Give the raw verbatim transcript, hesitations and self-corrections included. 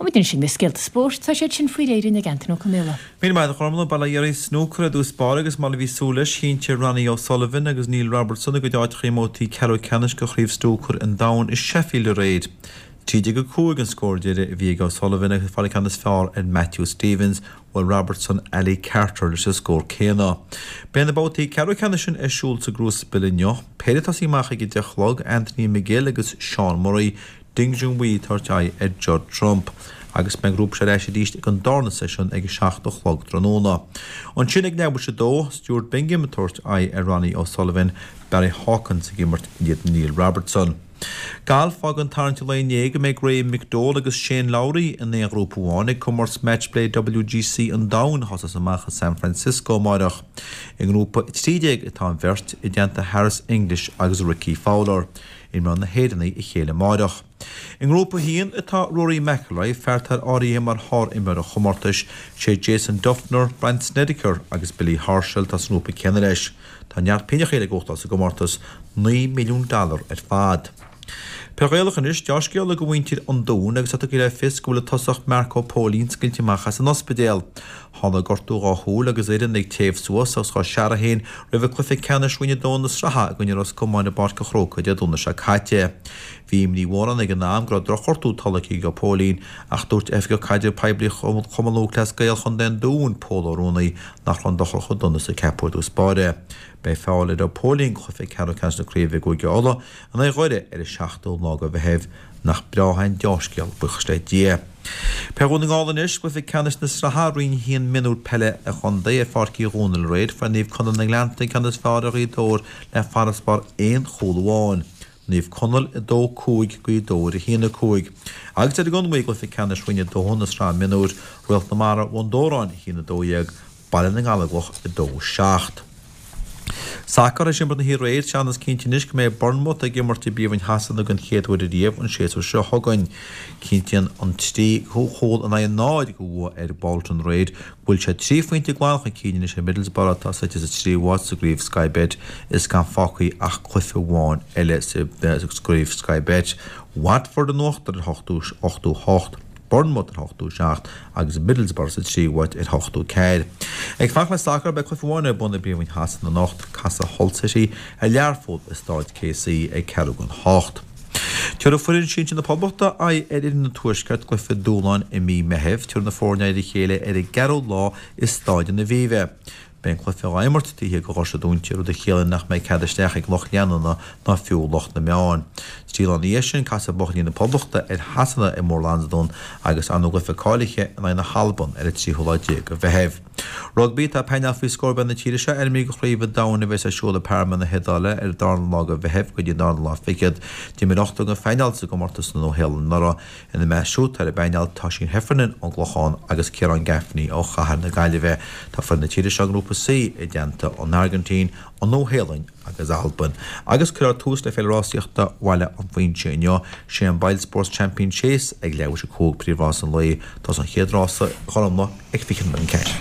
Muid sin na scéalta spóirt tá siad sin faoi réir ag Antain Ó Conaola. Míle maith a Ghormfhlaith bail ó Dhia oraibh snúcar i dtús báire agus mar a bhí súil leis chinntigh Ronnie O'Sullivan agus Neil Robertson a gcuid áiteacha i mbabhtaí ceathrú ceannais de Chraobh Snúcair an Domhain i Sheffield aréir. Trí déag a cúig an scór deiridh a bhí ag O'Sullivan agus fáil an ceann is fearr ar Matthew Stevens, bhuail Robertson Ali Carter leis an scór céanna. Beidh na babhtaí ceathrú ceannais sin ar siúl sa gCrucible inniu. Péire ag tosaí amach ag a deich a chlog, Anthony McGill agus Sean Murray, Ding Junhui ag tabhairt aghaidh ar Judd Trump. Agus beidh an grúpa seo ar ais arís ag an darna seisiún ag a seacht a chlog tráthnóna. Ansin ag leathuair tar éis a dó, Stuart Bingham ag tabhairt aghaidh ar Ronnie O'Sullivan, Barry Hawkins ag imirt in éadan Neil Robertson. Galf fágann tarraingt an lae inné go mbeidh Graham McDowell agus Shane Lowry in aon ghrúpa amháin ag comórtas Matchplay WGC an Domhain a thosós amach i San Francisco amárach. I ngrúpa a trí déag atá an bheirt, i dteannta Harris English agus Rickie Fowler. Imreoidh na hÉireannaigh a chéile amárach. I ngrúpa a haon atá Rory McIlroy, fear atá áirithe mar shár-imreoir an chomórtais, sé Jason Dufner, Brandt Snedeker agus Billy Horschel atá sa ngrúpa céanna leis. Tá neart pingin le gnóthachtáil sa gcomórtas, naoi milliún dollar ar fad. Peil Ghaelach anois, deá-scéala do mhuintir an Dúin agus é tugtha le fios go bhfuil an tosach Marco Póilín scaoilte amach as an ospidéal. Tháinig gortú dhá shúil agus fhoireann ag téamh suas agus dhá searradh féin roimh an cluiche ceannais Roinn a dó na sraithe i gcoinne Ros Comáin i bPáirc an Chrócaigh Dé Domhnaigh seo caite. Bhí imní mhór ann ag an am go raibh drochghortú tolgtha ag Póilín ach dúirt Oifigeach Caidrimh Poiblí Chumann Lúthchleas Gael Chontae an Dúin, Pól Ó Ruanaí, nach raibh an dochar chomh dona is a ceapadh ar dtús báire. Beidh fáil ar Póilín do chluiche ceathrú ceannais na craoibhe i gCúige Uladh in aghaidh Dhoire ar an seachtú lá de Mheitheamh. Nach breá an deá-scéal, buíochas le Dia. Peil Dhún na nGall anois, cluiche ceannais na sraithe Roinn a haon mionúr peile an chontae ar Pháirc Uí Dhónaill aréir, fuair Naomh Conaill na nGleannta an ceann is fearr ar Ghaoth Dobhair le farasbarr aon chúl amháin. Naomh Conaill a dó cúig, Gaoth Dobhair a haon a cúig. Agus ar an gConmhaigh i gcluiche ceannais Roinn a dó na sraithe mionúir, Réalt na Mara Bhun Dobhráin a haon a dó dhéag, Baile na nGallóglach a dó seacht. Sacar tar éis imirt na hoíche aréir, teannas cinnte anois go mbeidh Bournemouth ag imirt i bPríomhroinn Shasana den chéad uair ariamh an séasúr seo chugainn. Cinntíonn an trí chúl in aghaidh a náid de bhua ar Bolton aréir go bhfuil siad trí phointe glan chun cinn anois ar Middlesbrough atá suite sa tríú háit sa gcraobh Sky Bet is gan fágtha ach cluiche amháin eile sa gcraobh Sky Bet. Watford in uachtar ar ochtó hocht. Bournemouth ar ochtó seacht agus Middlesbrough sa tríú háit ar ochtó ceathair. Ag fanacht le sacar, beidh cluiche amháin ar bun i bPríomhroinn Shasana anocht, casfaidh Hull City ar Learpholl i Staid KC ag ceathrú don hocht. Tabharfaidh foireann sinsir na Poblachta aghaidh ar fhoireann an Tuaiscirt i gcluiche dúshláin i mí Meithimh. Tabharfaidh na foirne aghaidh ar a chéile ar an gceathrú lá i Staid an Aviva. Beidh an cluiche á imirt taobh thiar de dhoirse dúnta, rud a chiallaíonn nach mbeidh cead isteach ag lucht leanúna ná fiú lucht na meán. Trí lá ina dhiaidh sin, casfaidh buachaillí na Poblachta ar Shasana i Moor Lansdowne agus ar ndóigh cluiche cáilithe in aghaidh na hAlban ar an tríú lá déag de Mheitheamh. Rugbaí, Tá painéal faoi scór beag na tíre seo ainmnithe do Chraobh an Domhain a bheas ar siúl i Parma na hIodáile ar an darna lá de Mheitheamh go dtí an darna lá fichead. D'imir ochtar den phainéal sa gcomórtas sa Nua-Shéalainn anuraidh. Ina measc siúd tá ar an bpainéal tá Oisín Heffernan ón gClochán agus Ciarán Gaffney ó Chathair na Gaillimhe. Tá foireann na tíre seo i nGrúpa C i dteannta an Airgintín, an Nua-Shéalainn agus Albain. Agus cuirfear tús le Féile Rásaíochta Bhaile an Phuinse inniu. Sé an Boylesports Champion Chase ag leathuair tar éis a cúig príomhrás an lae. Tá an chéad rása Ghormfhlaith ag fiche nóiméad don ceathair.